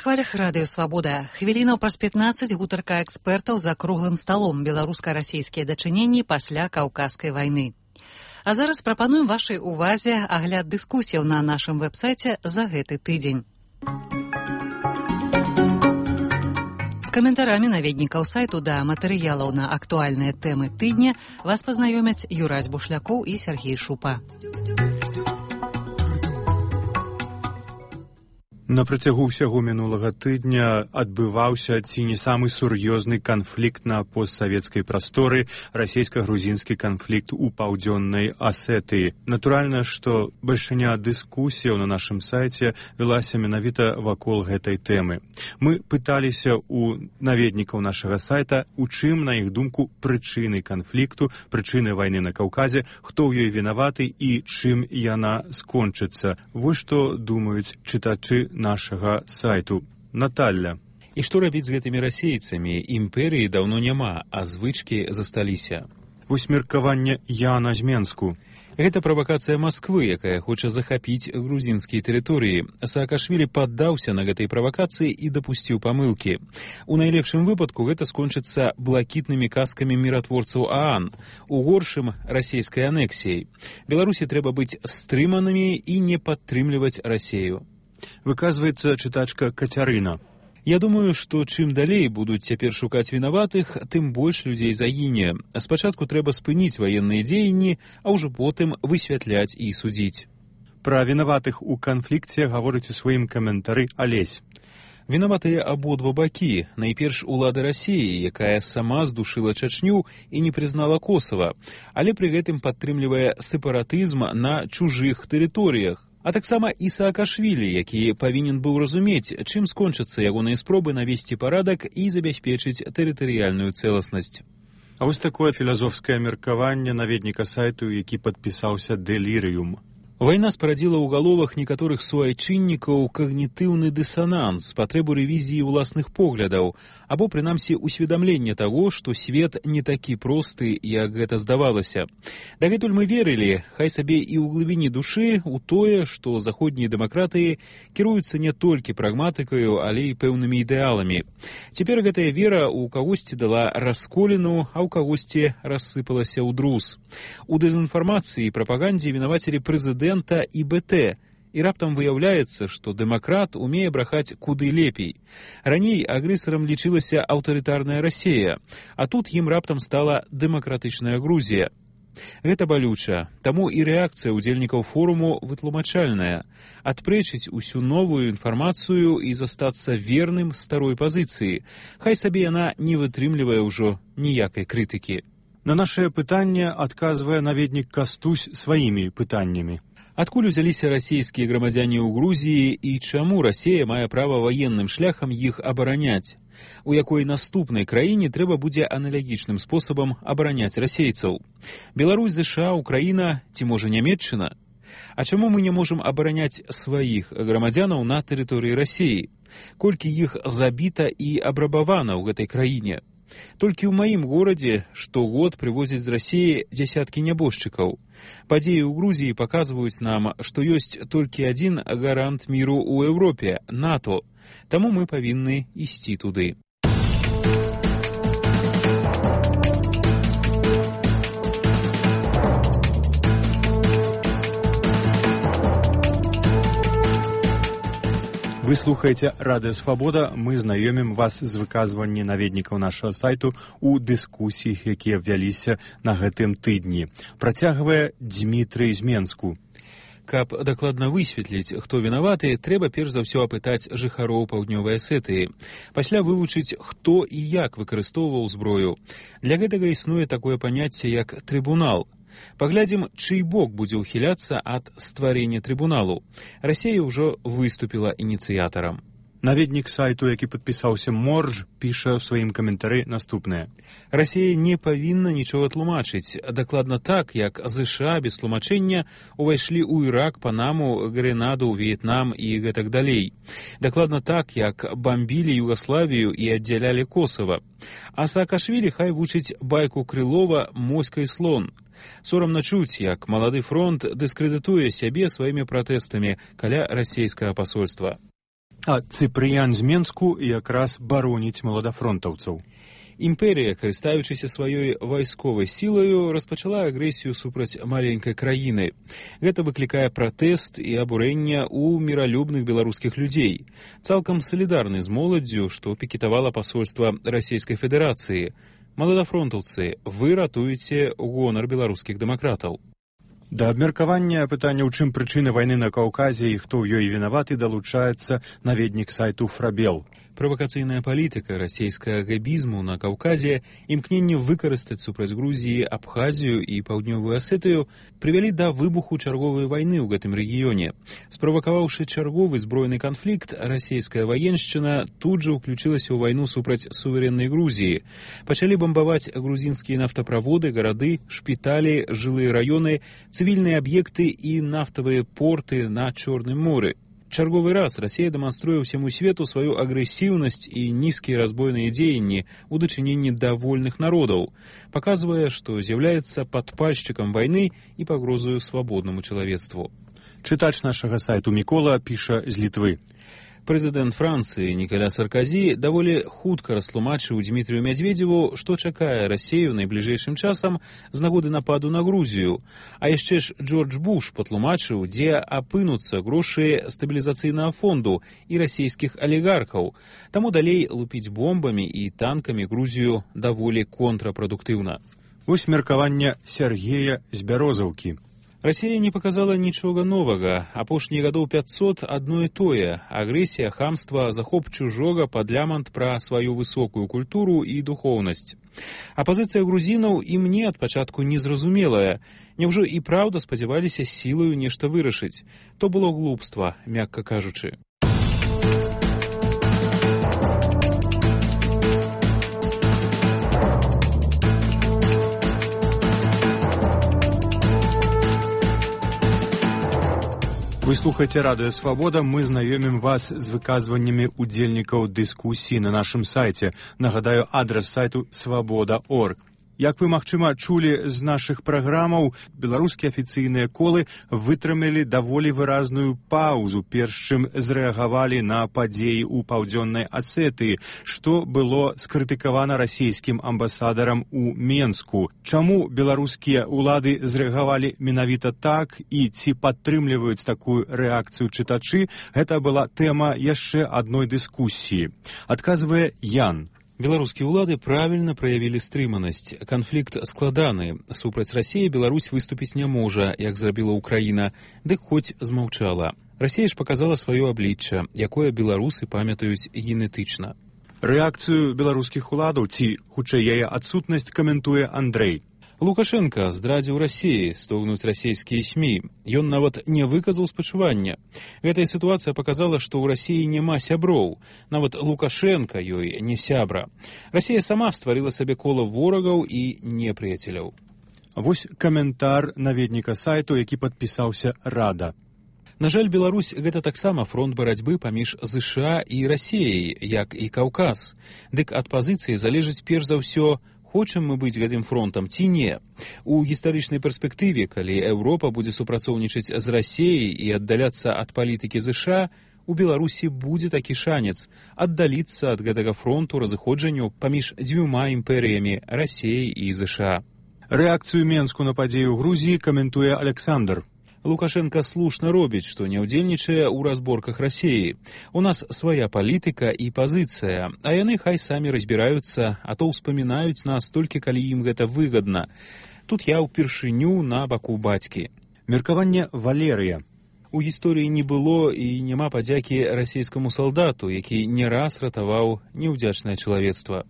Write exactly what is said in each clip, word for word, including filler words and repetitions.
хвалях радыё «Свабода». Хвілінаў праз пятнаццаць гутарка экспертаў за круглым сталом беларуска-расійскія дачыненні пасля каўказскай вайны. А зараз прапануем вашай увазе агляд дыскусіяў на нашым вэб-сайце за гэты тыдзень. З каментарамі наведнікаў сайту да матэрыялаў на актуальныя тэмы тыдня вас пазнаёмяць Юрась Бушлякоў і Сергей Шупа. На працягу ўсяго мінулага тыдня адбываўся ці не самы сур'ёзны канфлікт на постсавецкай прасторы, расійска-грузінскі канфлікт у паўдзённай Асетыі. Натуральна, што бальшыня дыскусіяў на нашым сайце велася менавіта вакол гэтай тэмы. Мы пыталіся ў наведнікаў нашага сайта, у чым, на іх думку, прычыны канфлікту, прычыны вайны на Каўказе, хто ў ёй вінаваты і чым яна скончыцца. Вось што думаюць чытачы нашага сайту. Наталья. І што рабіць з гэтымі расейцамі? Імперыі даўно няма, а звычкі засталіся. Вось меркаванне Яна з Менску. Гэта правакацыя Масквы, якая хоча захапіць грузінскія тэрыторыі. Саакашвілі паддаўся на гэтай правакацыі і дапусціў памылкі. У найлепшым выпадку гэта скончыцца блакітнымі казкамі міратворцаў ААН, у горшым расійскай анексіяй. Беларусі трэба быць стрыманымі і не падтрымліваць Расею. Выказваецца чытачка Кацярына. Я думаю, што чым далей будуць цяпер шукаць вінаватых, тым больш людзей загіне. Спачатку трэба спыніць ваенныя дзеянні, а ўжо потым высвятляць і судзіць. Пра вінаватых у канфлікце гаворыць у сваім каментары Алесь. Вінаватыя абодва бакі. Найперш улада Расіі, якая сама здушыла Чачню і не прызнала Косава, але пры гэтым падтрымлівае сепаратызм на чужых тэрыторыях. А таксама і Саакашвілі, які павінен быў разумець, чым скончацца ягоныя спробы навесці парадак і забяспечыць тэрытарыяльную цэласнасць. А вось такое філазофскае меркаванне наведніка сайту, які падпісаўся «Дэлірыум». Вайна спарадзіла ў галовах некаторых суайчыннікаў когнітыўны дысананс, патрэбу рэвізіі ўласных поглядаў, або, прынамсі, усведамленне таго, што свет не такі просты, як гэта здавалася. Дагэтуль мы верылі, хай сабе і ў глыбіні душы, у тое, што заходнія дэмакратыі кіруюцца не толькі прагматыкаю, але і пэўнымі ідэаламі. Цяпер гэтая вера ў кагосьці дала расколіну, а ў кагосьці рассыпалася ў друз. У дэзінфармацыі і прапагандзе вінавацілі прэзідэнта і БТ, і раптам выяўляецца, што дэмакрат умее брахаць куды лепей. Раней агрэсарам лічылася аўтарытарная Расея, а тут ім раптам стала дэмакратычная Грузія. Гэта балюча, таму і рэакцыя ўдзельнікаў форуму вытлумачальная – адпрэчыць усю новую інфармацыю і застацца верным старой пазіцыі. Хай сабе яна не вытрымлівае ўжо ніякай крытыкі. На нашае пытанне адказвае наведнік Кастусь сваімі пытаннямі. Адкуль узяліся расійскія грамадзяне ў Грузіі і чаму Расея мае права ваенным шляхам іх абараняць? У якой наступнай краіне трэба будзе аналагічным спосабам абараняць расейцаў? Беларусь, ЗША, Украіна ці, можа, Нямецчына? А чаму мы не можам абараняць сваіх грамадзянаў на тэрыторыі Расеі? Колькі іх забіта і абрабавана ў гэтай краіне? Толькі ў маім горадзе штогод прывозяць з Расеі дзясяткі нябожчыкаў. Падзеі ў Грузіі паказваюць нам, што ёсць толькі адзін гарант міру ў Еўропе – НАТО. Таму мы павінны ісці туды. Вы слухаеце Радыё Свабода, мы знаёмім вас з выказвання наведнікаў нашага сайту ў дыскусіях, якія вяліся на гэтым тыдні. Працягвае Дзмітрый з Менску. Каб дакладна высветліць, хто вінаваты, трэба перш за ўсё апытаць жыхароў паўднёвай Асетыі. Пасля вывучыць, хто і як выкарыстоўваў зброю. Для гэтага існуе такое паняцце, як трыбунал. Паглядзім, чый бок будзе ўхіляцца ад стварення трыбуналу. Расея ўжо выступіла ініцыятарам. Наведнік сайту, які падпісаўся Морж, піша ў сваім каментары наступнае. Расея не павінна нічога тлумачыць. Дакладна так, як ЗША без тлумачэння увайшлі ў Ірак, Панаму, Гренаду, В'етнам і гэтак далей. Дакладна так, як бамбілі Югаславію і аддзялялі Косава. А Саакашвілі хай вучыць байку Крылова «Моська і слон». Сорамна чуць, як малады фронт дыскрэдытуе сябе сваімі пратэстамі каля расейскага пасольства. А Цыпрыян з Менску якраз бароніць маладафронтаўцаў. Імперія, карыстаючыся сваёй вайсковай сілаю, распачала агрэсію супраць маленькай краіны. Гэта выклікае пратэст і абурэнне ў міралюбных беларускіх людзей. Цалкам салідарны з моладдзю, што пікетавала пасольства Расійскай Федэрацыі. Маладафронтаўцы, вы ратуеце гонар беларускіх дэмакратаў. Да абмеркавання пытання, у чым прычына вайны на Каўказе і хто ў ёй вінаваты, далучаецца наведнік сайту Фрабел. Правакацыйная палітыка расійскага габізму на Каўказе, імкненне выкарыстаць супраць Грузіі Абхазію і Паўднёвую Асетыю прывялі да выбуху чарговай вайны ў гэтым рэгіёне. Справакаваўшы чарговы збройны канфлікт, расійская ваеншчына тут жа ўключылася ў вайну супраць суверэннай Грузіі. Пачалі бамбаваць грузінскія нафтаправоды, гарады, шпіталі, жылыя раёны, цывільныя аб'екты і нафтавыя порты на Чорным моры. Чарговы раз Расія дэманструе ўсяму свету сваю агрэсіўнасць і нізкія разбойныя дзеянні ў дачыненні да вольных народаў, паказвае, што з'яўляецца падпальшчыкам вайны і пагрозаю свабоднаму чалавецтву. Чытач нашага сайту Мікола піша з Літвы. Прэзідэнт Францыі Нікаля Сарказі даволі хутка растлумачыў Дмітрію Мядзведзеву, што чакае Расію найбліжэйшым часам з нагоды нападу на Грузію. А яшчэ ж Джордж Буш патлумачыў, дзе апынуцца грошы стабілізацыйнага фонду і расійскіх алігархаў. Таму далей лупіць бомбамі і танкамі Грузію даволі контрапрадуктыўна. Вось меркаванне Сергея з Бярозаўкі. Расія не паказала нічога новага. Апошнія гадоў пяцьсот адно і тое. Агрэсія, хамства, захоп чужога, падлямант пра сваю высокую культуру і духоўнасць. А пазіцыя грузінаў і мне ад пачатку незразумелая. Няўжо і праўда спадзяваліся сілаю нешта вырашыць? То было глупства, мякка кажучы. Вы слухаеце радыё «Свабода». Мы знаёмім вас з выказваннямі удзельнікаў дыскусіі на нашым сайце. Нагадаю, адрас сайту свабода точка орг. Як вы, магчыма, чулі з нашых праграмаў, беларускія афіцыйныя колы вытрымалі даволі выразную паўзу, перш чым зрэагавалі на падзеі ў Паўдзённай Асетыі, што было скрытыкавана расійскім амбасадарам у Менску. Чаму беларускія ўлады зрэагавалі менавіта так і ці падтрымліваюць такую рэакцыю чытачы, гэта была тэма яшчэ адной дыскусіі. Адказвае Ян. Беларускія ўлады правільна праявілі стрыманасць. Канфлікт складаны. Супраць Расіі Беларусь выступіць не можа, як зрабіла Ўкраіна, дык хоць змаўчала. Расія ж паказала сваё аблічча, якое беларусы памятаюць генетычна. Рэакцыю беларускіх уладаў ці, хутчэй, яе адсутнасць каментуе Андрэй. Лукашенко здрадзіў Расіі, стогнуць расійскія СМІ. Ён нават не выказаў спачування. Гэтая сітуацыя паказала, што ў Расіі няма сяброў. Нават Лукашенко ёй не сябра. Расія сама стварыла сабе кола ворагаў і непрыяцеляў. Вось каментар наведніка сайту, які падпісаўся «Рада». На жаль, Беларусь гэта таксама фронт барацьбы паміж ЗША і Расіяй, як і Каўказ. Дык ад пазіцыі залежыць перш за ўсё, хочам мы быць гэтым фронтам ці не. У гістарычнай перспектыве, калі Еўропа будзе супрацоўнічаць з Расіяй і аддаляцца ад палітыкі ЗША, у Беларусі будзе такі шанец аддаліцца ад гэтага фронту разыходжанню паміж дзвюма імперыямі Расіяй і ЗША. Рэакцыю Менску на падзею ў Грузіі каментуе Александр. Лукашенко слушна робіць, што не ўдзельнічае ў разборках Расіі. У нас свая палітыка і пазіцыя, а яны хай самі разбіраюцца, а то ўспамінаюць нас толькі калі ім гэта выгадна. Тут я ўпершыню на баку бацькі. Меркаванне Валерыя. У гісторыі не было і няма падзякі расійскаму салдату, які не раз ратаваў неўдзячнае чалавецтва.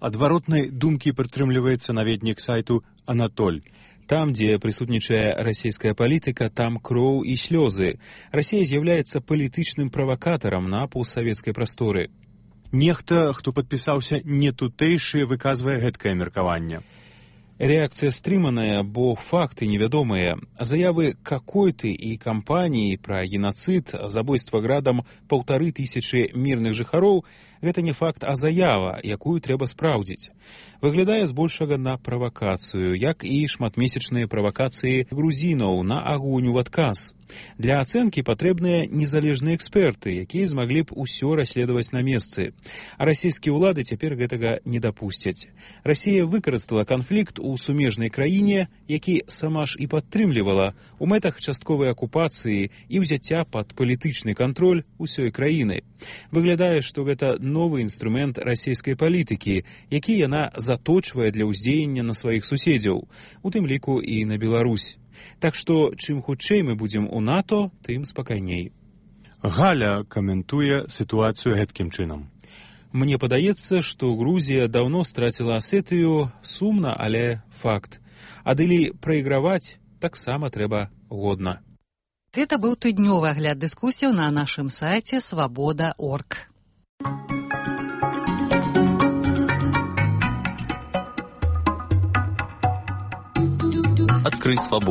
Адваротнай думкі прытрымліваецца наведнік сайту Анатоль. Там, дзе прысутнічае расійская палітыка, там кроў і слёзы. Расія з'яўляецца палітычным правакатарам на постсавецкай прасторы. Нехта, хто падпісаўся не тутэйшы, выказвае гэткае меркаванне. Рэакцыя стрыманая, бо факты невядомыя. Заявы какой-ты і кампаніі пра генацыд, забойства градам паўтары тысячы мірных жыхароў Гэта не факт, а заява, якую трэба спраўдзіць. Выглядае збольшага на правакацыю, як і шматмесячныя правакацыі грузінаў на агонь у адказ. Для ацэнкі патрэбныя незалежныя эксперты, якія змаглі б усё расследаваць на месцы. А расійскія ўлады цяпер гэтага не дапусцяць. Расія выкарыстала канфлікт у сумежнай краіне, які сама ж і падтрымлівала у мэтах частковай акупацыі і ўзяцця пад палітычны кантроль усёй краіны. Выглядае, што гэта новы інструмент расійскай палітыкі, які яна заточвае для ўздзеяння на сваіх суседзяў, у тым ліку і на Беларусь. Так што, чым хутчэй мы будзем у НАТО, тым спакайней. Галя каментуе сітуацыю гэткім чынам. Мне падаецца, што Грузія даўно страціла Асетыю, сумна, але факт. Адылі прайграваць таксама трэба годна. Гэта быў тыднёвы агляд дыскусіяў на нашым сайце свабода точка орг. Открыть свободу.